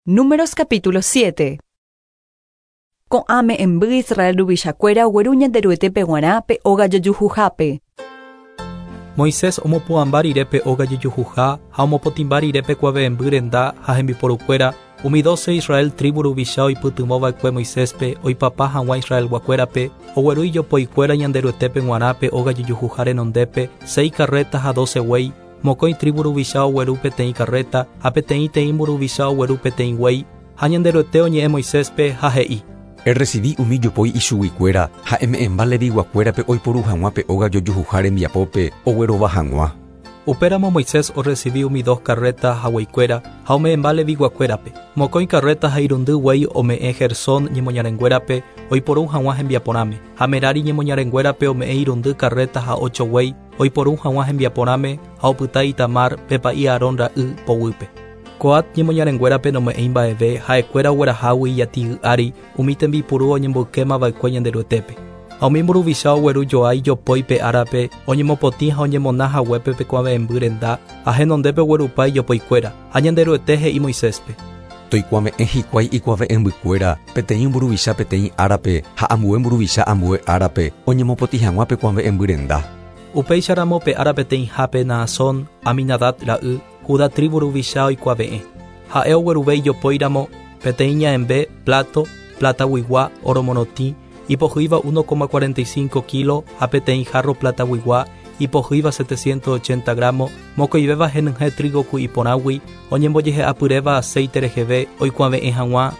Números capítulo 7. Ko'ã me'ẽmby Israel ruvichakuéra ogueru Ñanderuetépe g̃uarã pe óga jojuhuhápe. Moisés omopu'ãmba rire pe óga jojuhuha ha omopotĩmba rire pe kuave'ẽmby renda ha hembiporukuéra, umi dóse Israel trívu ruvicha oipytyvõ va'ekue Moiséspe oipapa hag̃ua Israelguakuérape, ogueru ijopoikuéra Ñanderuetépe g̃uarã pe óga jojuhuha renondépe, séi karréta ha dóse guéi, Mokõi trívu ruvicha ogueru peteĩ karréta, ha peteĩ-teĩ mburuvicha ogueru peteĩ guéi, ha Ñanderuete oñe'ẽ Moiséspe, ha he'i. Erresivi umi jopói ichuguikuéra ha eme'ẽmba Leviguakuérape oiporu hag̃ua pe óga jojuhuha rembiapópe oguerova hag̃ua. Upéramo Moisés orresivi umi dos karréta ha gueikuéra, ha ome'ẽmba Leviguakuérape. Mokõi karréta ha irundy guéi ome'ẽ Gersón ñemoñarenguérape oiporu hag̃ua hembiaporãme, ha Merari ñemoñarenguérape ome'ẽ irundy karréta ha ocho guéi, oiporu hag̃ua hembiaporãme ha opyta Itamar, pe pa'i Aarón ra'y, poguýpe. Coat ñemoñarenguérape nome'ẽi mba'eve ha'ekuéra oguerahágui ijati'y ári umi tembipuru oñemboykéma va'ekue Ñanderuetépe. Ha umi mburuvicha ogueru joa ijopói pe árape oñemopotĩ ha oñemona haguépe pe kuave'ẽmby renda ha henondépe oguerupa ijopoikuéra. Ha Ñanderuete he'i Moiséspe. Toikuave'ẽ hikuái ikuave'ẽmbykuéra peteĩ mburuvicha peteĩ árape ha ambue mburuvicha ambue árape oñemopotĩ hag̃ua pe kuave'ẽmby renda. Upéicharamo pe ára peteĩhápe Naasón, Aminadab ra'y, Judá trívu ruvicha oikuave'ẽ. Ha'e ogueruve ijopóiramo peteĩ ña'ẽmbe, pláto, plataguigua, óro morotĩ, ipohýiva 1,45 kílo ha peteĩ hárro plataguigua ipohýiva 780 grámo, mokõivéva henyhẽ trígo ku'i porãgui oñembojehe'apyréva aséite reheve oikuave'ẽ hag̃ua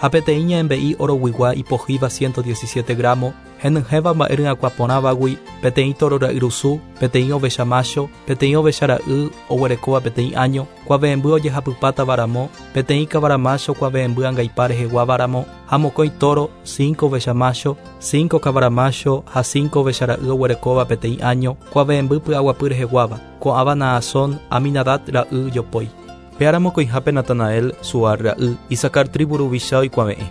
Ha peteĩ ña'ẽmbe'i oroguigua ipohýiva 117 gramo, henyhẽva mba'e ryakuã porãvagui, peteĩ tóro ra'yrusu, peteĩ ovecha mácho, peteĩ ovecha ra'y oguerekóva peteĩ áño, kuave'ẽmby ojehapypátava ramo, peteĩ kavara mácho kuave'ẽmby angaipa reheguáva ramo, ha mokõi tóro, cinco ovecha mácho, cinco kavara mácho ha cinco ovecha ra'y oguerekóva peteĩ áño, kuave'ẽmby py'aguapy reheguáva, ko'ãva Naasón, Aminadab ra'y jopói. Pe ára mokõihápe Natanael, Suar ra'y, Isacar trívu ruvicha oikuave'ẽ.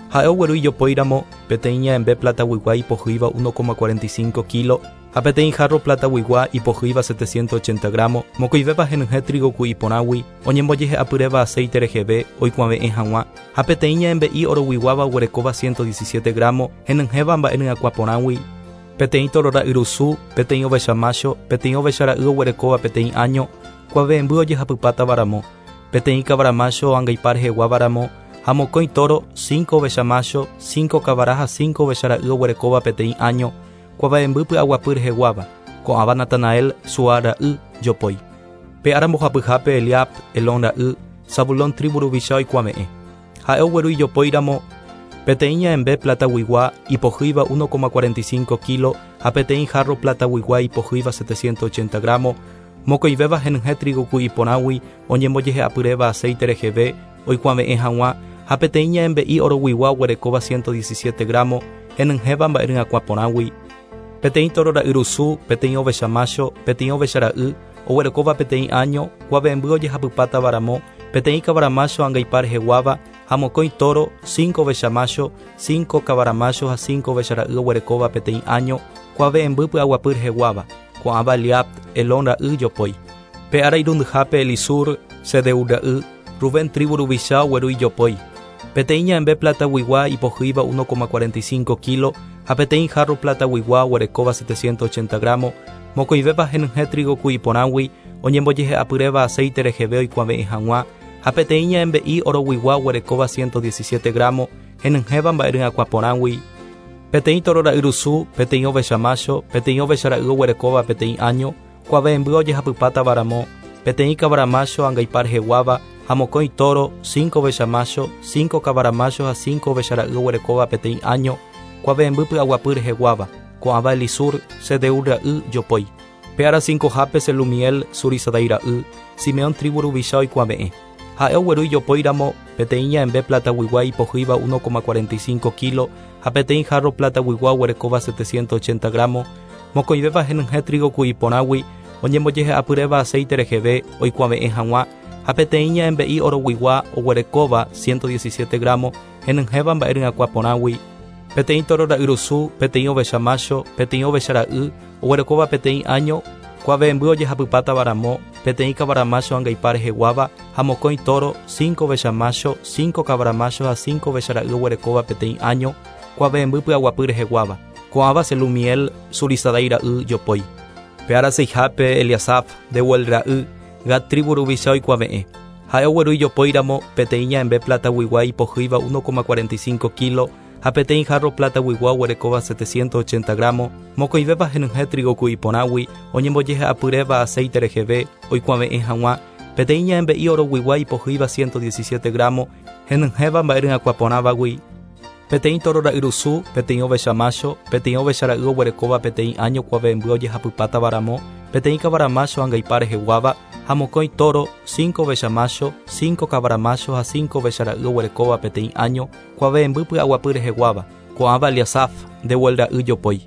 Ha'e ogueru ijopói ramo, peteĩ ña'ẽmbe plataguigua ipohýiva 1,45 kílo ha peteĩ hárro plataguigua ipohýiva 780 grámo, mokõivéva henyhẽ trígo ku'i porãgui, oñembojehe'apyréva aséite reheve oikuave'ẽ hag̃ua, ha peteĩ ña'ẽmbe'i oroguiguáva oguerekóva 117 grámo, henyhẽva mba'e ryakuã porãgui, peteĩ tóro ra'yrusu, peteĩ ovecha mácho, peteĩ ovecha ra'y oguerekóva peteĩ áño, kuave'ẽmby ojehapypátava ramo, peteĩ kavara mácho angaipa reheguáva ramo, ha mokõi tóro, cinco ovecha mácho, cinco kavara ha cinco ovecha ra'y oguerekóva peteĩ áño, kuave'ẽmby py'aguapy reheguáva, ko'ãva Natanael, Suar ra'y, jopói. Pe ára mbohapyhápe Eliab, Helón ra'y, Zabulón trívu ruvicha oikuave'ẽ. Ha'e ogueru ijopói ramo peteĩ ña'ẽmbe plataguigua ipohýiva 1,45 kílo ha peteĩ hárro plataguigua ipohýiva 780 grámo, mokõivéva henyhẽ trígo ku'i porãgui oñembojehe'apyréva aséite reheve oikuave'ẽ hag̃ua, ha peteĩ ña'ẽmbe'i oroguigua oguerekóva 117 grámo henyhẽva mba'e ryakuã porãgui, peteĩ tóro ra'yrusu, peteĩ ovecha mácho, peteĩ ovecha ra'y, oguerekóva peteĩ áño, kuave'ẽmby ojehapypátava ramo, peteĩ kavara mácho angaipa reheguáva, ha mokõi tóro, cinco ovecha mácho, cinco kavara mácho ha cinco ovecha ra'y oguerekóva peteĩ áño, kuave'ẽmby py'aguapy reheguáva, ko'ãva Eliab, Helón ra'y jopói. Pe ára irundyhápe Elisur, Sedeur ra'y, Rubén trívu ruvicha ogueru ijopói. Peteĩ ña'ẽmbe plataguigua ipohýiva 1,45 kílo ha peteĩ hárro plataguigua oguerekóva 780 grámo, mokõivéva henyhẽ trígo ku'i porãgui oñembojehe'apyréva aséite reheve oikuave'ẽ hag̃ua, ha peteĩ ña'ẽmbe'i oroguigua oguerekóva 117 grámo, henyhẽva mba'e ryakuã porãgui, peteĩ tóro ra'yrusu, peteĩ ovecha mácho, peteĩ ovecha ra'y oguerekóva peteĩ áño, kuave'ẽmby ojehapypátava ramo, peteĩ kavara mácho angaipa reheguáva, ha mokõi tóro, cinco ovecha mácho, cinco kavara mácho ha cinco ovecha ra'y oguerekóva peteĩ áño, kuave'ẽmby py'aguapy reheguáva, ko'ãva Elisur, Sedeur ra'y, jopói. Pe ára cincohápe Selumiel, Zurisadai ra'y, Simeón trívu ruvicha oikuave'ẽ. Ha'e ogueru ijopói ramo peteĩ ña'ẽmbe plataguigua ipohýiva 1,45 kílo ha peteĩ hárro plataguigua oguerekóva 780 grámo, mokõivéva henyhẽ trígo ku'i porãgui oñembojehe'apyréva aséite reheve oikuave'ẽ hag̃ua, ha peteĩ ña'ẽmbe'i oroguigua oguerekóva 117 grámo henyhẽva mba'e ryakuã porãgui, peteĩ tóro ra'yrusu, peteĩ ovecha mácho, peteĩ ovecha ra'y oguerekóva peteĩ áño, kuave'ẽmby ojehapypátava ramo, peteĩ kavara mácho angaipa reheguáva ha mokõi tóro, cinco ovecha mácho, cinco kavara mácho ha cinco ovecha ra'y oguerekóva peteĩ áño, kuave'ẽmby py'aguapy reheguáva. Ko'ãva Selumiel, Zurisadai ra'y jopói. Pe ára seihápe Eliasaf, Deuel ra'y, Gad trívu ruvicha oikuave'ẽ. Ha'e ogueru ijopóiramo peteĩ ña'ẽmbe plataguigua ipohýiva 1,45 kílo ha peteĩ hárro plataguigua oguerekóva 780 grámo, mokõivéva henyhẽ trígo ku'i porãgui oñembojehe'apyréva aséite reheve oikuave'ẽ hag̃ua, peteĩ ña'ẽmbe'i oroguigua ipohýiva 117 grámo, henyhẽva mba'e ryakuã porãvagui, peteĩ tóro ra'yrusu, peteĩ ovecha mácho, peteĩ ovecha ra'y oguerekóva peteĩ áño kuave'ẽmby ojehapypátava ramo, peteĩ kavara mácho angaipa reheguáva, ha mokõi tóro, cinco ovecha mácho, cinco kavara mácho ha cinco ovecha ra'y oguerekóva peteĩ áño, kuave'ẽmby py'aguapy reheguáva, ko'ãva Eliasaf, Deuel ra'y jopói.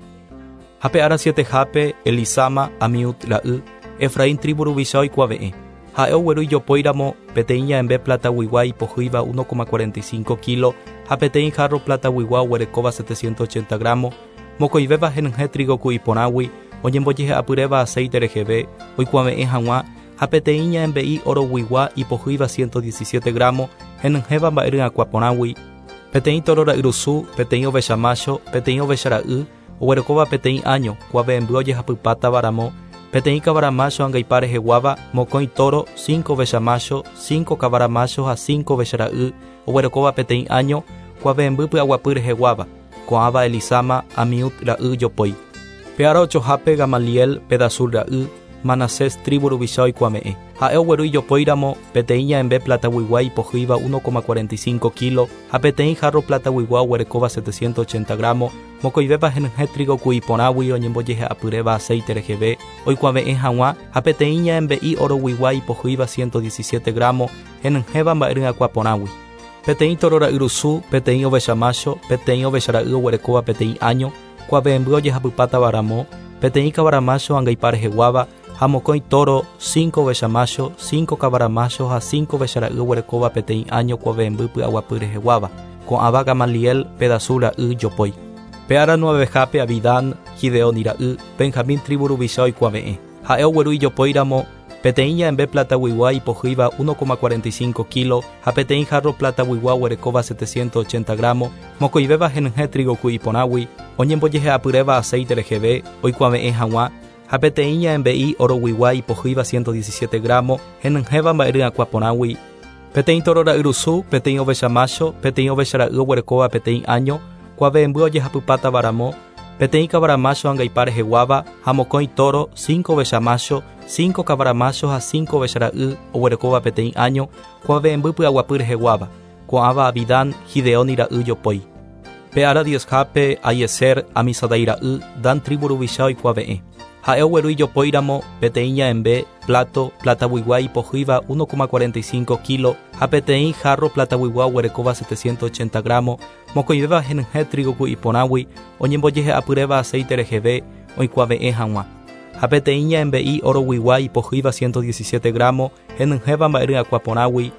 Ha pe ára sietehápe, Elisama, Amiud ra'y, Efraín trívu ruvicha oikuave'ẽ. Ha'e ogueru ijopóiramo peteĩ ña'ẽmbe plataguigua ipohýiva 1,45 kílo ha peteĩ hárro plataguigua oguerekóva 780 grámo, mokõivéva henyhẽ trígo ku'i porãgui oñembojehe'apyréva aséite reheve oikuave'ẽ hag̃ua, ha peteĩ ña'ẽmbe'i oroguigua ipohýiva 117 grámo henyhẽva mba'e ryakuã porãgui, peteĩ tóro ra'yrusu, peteĩ ovecha mácho, peteĩ ovecha ra'y, oguerekóva peteĩ áño, kuave'ẽmby ojehapypátava ramo, peteĩ kavara mácho angaipa reheguáva, mokõi tóro, cinco ovecha mácho, cinco kavara mácho ha cinco ovecha ra'y, oguerekóva peteĩ áño, kuave'ẽmby py'aguapy reheguáva, ko'ãva Elisama, Amiud ra'y jopói. Pe ára ochohápe Gamaliel, Pedasur ra'y, Manasés trívu ruvicha oikuave'ẽ. Ha'e ogueru ijopóiramo peteĩ ña'ẽmbe plataguigua ipohýiva 1,45 kílo ha peteĩ hárro plataguigua oguerekóva 780 grámo, mokõivéva henyhẽ trígo ku'i porãgui oñembojehe'apyréva aséite reheve oikuave'ẽ hag̃ua ha peteĩ ña'ẽmbe'i oroguigua ipohýiva 117 grámo henyhẽva mba'e ryakuã porãgui. Peteĩ tóro ra'yrusu, peteĩ ovecha mácho, peteĩ ovecha ra'y oguerekóva peteĩ áño, kuave'ẽmby ojehapypátava ramo, peteĩ kavara mácho angaipa reheguáva, ha mokõi tóro, cinco ovecha mácho, cinco kavara mácho ha cinco ovecha ra'y oguerekóva peteĩ áño kuave'ẽmby py'aguapy reheguáva, ko'ãva Gamaliel, Pedasur ra'y jopói. Pe ára nuevehápe Abidán, Gideoni ra'y, Benjamín trívu ruvicha oikuave'ẽ. Ha'e ogueru ijopóiramo peteĩ ña'ẽmbe plataguigua ipohýiva 1,45 kílo ha peteĩ hárro plataguigua oguerekóva 780 grámo, mokõivéva henyhẽ trígo ku'i porãgui, oñembojehe'apyréva aséite reheve oikuave'ẽ hag̃ua, ha peteĩ ña'ẽmbe'i oroguigua ipohýiva 117 grámo, henyhẽva mba'e ryakuã porãgui, peteĩ tóro ra'yrusu, peteĩ ovecha mácho, peteĩ ovecha ra'y oguerekóva peteĩ áño, kuave'ẽmby ojehapypátava ramo, peteĩ kavara mácho angaipa reheguáva ha mokõi tóro, cinco ovecha mácho, cinco kavara mácho ha cinco ovecha ra'y oguerekóva peteĩ áño, kuave'ẽmby py'aguapy reheguáva, ko'ãva Abidán, Gideoni ra'y jopói. Pe ára diezhápe Ahiezer, Amisadai ra'y, Dan trívu ruvicha oikuave'ẽ. Ha'e ogueru ijopóiramo peteĩ ña'ẽmbe, pláto, plataguigua ipohýiva 1,45 kílo ha peteĩ hárro plataguigua oguerekóva 780 grámo, mokõivéva henyhẽ trígo ku'i porãgui oñembojehe'apyréva aséite reheve oikuave'ẽ hag̃ua, ha peteĩ ña'ẽmbe'i oroguigua ipohýiva 117 grámo henyhẽva mba'e ryakuã porãgui,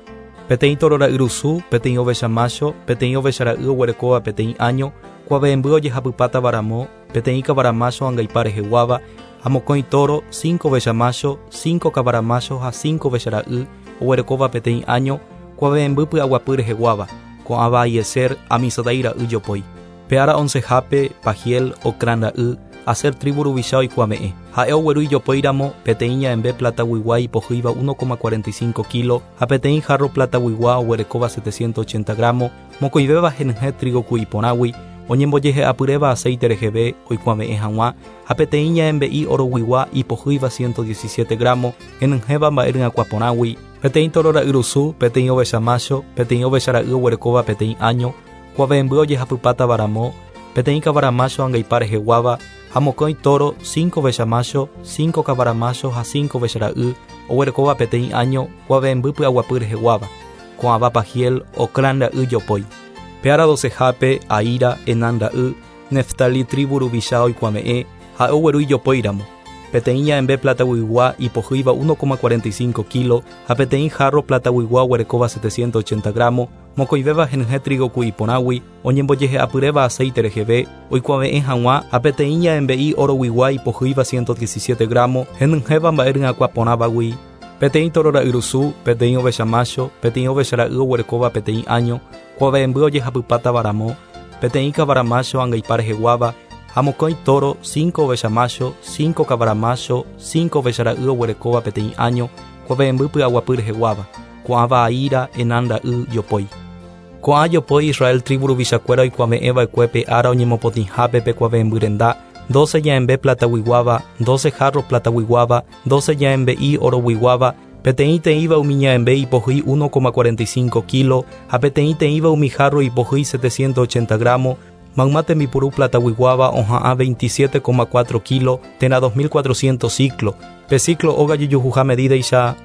peteĩ tóro ra'yrusu, peteĩ ovecha mácho, peteĩ ovecha ra'y oguerekóva peteĩ áño, kuave'ẽmby ojehapypátava ramo, peteĩ kavara mácho angaipa reheguáva, ha mokõi tóro, cinco ovecha mácho, cinco kavara mácho ha cinco ovecha ra'y oguerekóva peteĩ áño, kuave'ẽmby py'aguapy reheguáva, ko'ãva Ahiezer, Amisadai ra'y jopói. Pe ára oncehápe, Pagiel, Ocrán ra'y, Aser trívu ruvicha oikuave'ẽ. Ha'e ogueru ijopóiramo peteĩ ña'ẽmbe plataguigua ipohýiva 1,45 kílo ha peteĩ hárro plataguigua oguerekóva 780 grámo, mokõivéva henyhẽ trígo ku'i porãgui, oñembojehe'apyréva aséite reheve oikuave'ẽ hag̃ua, ha peteĩ ña'ẽmbe'i oroguigua ipohýiva 117 grámo, henyhẽva mba'e ryakuã porãgui, peteĩ tóro ra'yrusu, peteĩ ovecha mácho, peteĩ ovecha ra'y oguerekóva peteĩ áño, kuave'ẽmby ojehapypátava ramo, peteĩ kavara mácho angaipa reheguáva, ha mokõi tóro, cinco ovecha mácho, cinco kavara mácho ha cinco ovecha ra'y oguerekóva peteĩ áño, kuave'ẽmby py'aguapy reheguáva, ko'ãva Pagiel, Ocrán ra'y jopói. Pe ára docehápe, Ahira, Enán ra'y, Neftali trívu ruvicha oikuave'ẽ, ha'e ogueru ijopóiramo, peteĩ ña'ẽmbe plataguigua ipohýiva 1,45 kílo ha peteĩ hárro plataguigua oguerekóva 780 grámo, mokõivéva henyhẽ trígo ku'i porãgui, oñembojehe'apyréva aséite reheve oikuave'ẽ hag̃ua ha peteĩ ña'ẽmbe'i oroguigua ipohýiva 117 grámo, henyhẽva mba'e ryakuã porãvagui, Peteĩ toro ra'yrusu, peteĩ ovecha mácho, peteĩ ovecha ra'y oguerekóva peteĩ áño, kuave'ẽmby ojehapypátava ramo, peteĩ kavara mácho angaipa reheguáva, ha mokõi toro, cinco ovecha mácho, cinco kavara mácho, cinco ovecha ra'y oguerekóva peteĩ áño, kuave'ẽmby py'aguapy reheguáva, ko'ãva Ahira, Enán ra'y, jopói. Ko'ã jopói Israel tribu ruvichakuéra oikuave'ẽva'ekue pe ára oñemopotĩhápe pe kuave'ẽmby renda, 12 ña'ẽmbe plataguiguáva, 12 jarro plataguiguáva, 12 ña'ẽmbe'i oroguiguáva, peteĩ teĩva umi ña'ẽmbe ipohýi 1,45 kilo ha peteĩ teĩva umi jarro ipohýi 780 gramo, mayma tembipuru plataguiguáva oha'ã 27,4 kilo térã 2400 siclo, pe siclo óga jejuhuha medídaicha,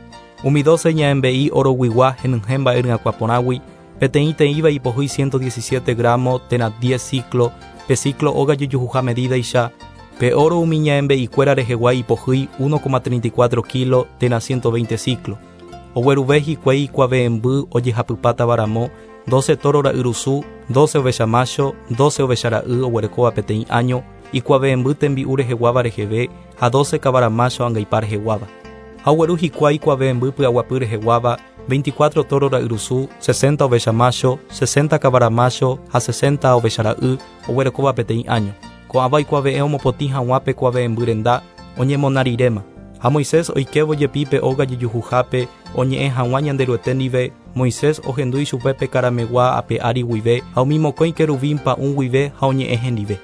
umi 12 ña'ẽmbe'i oroguigua henyhẽ mba'e ryakuã porãgui, peteĩ teĩva ipohýi 117 gramo térã 10 siclo, pe siclo óga jejuhuha medídaicha, pe oro umi ña'ẽmbe'ikuéra rehegua ipohýi 1,34 kilo térã 120 siclo. Ogueruve hikuái ikuave'ẽmby ojehapypátava ramo, 12 toro ra'yrusu, 12 ovecha mácho, 12 ovecha ra'y oguerekóva peteĩ áño, ikuave'ẽmby tembi'u reheguáva reheve ha 12 kavara mácho angaipa reheguáva. Ha ogueru hikuái ikuave'ẽmby py'aguapy reheguáva, 24 toro ra'yrusu, 60 ovecha mácho, 60 kavara mácho ha 60 ovecha ra'y oguerekóva peteĩ áño. Ko'ãva oikuave'ẽ omopotĩ hag̃ua pe kuave'ẽmby renda oñemona riréma. Ha Moisés oikévo jepi pe óga jejuhuhápe oñe'ẽ hag̃ua Ñanderuete ndive, Moisés ohendu ichupe pe karamegua ape ári guive ha umi mokõi querubín pa'ũ guive ha oñe'ẽ hendive.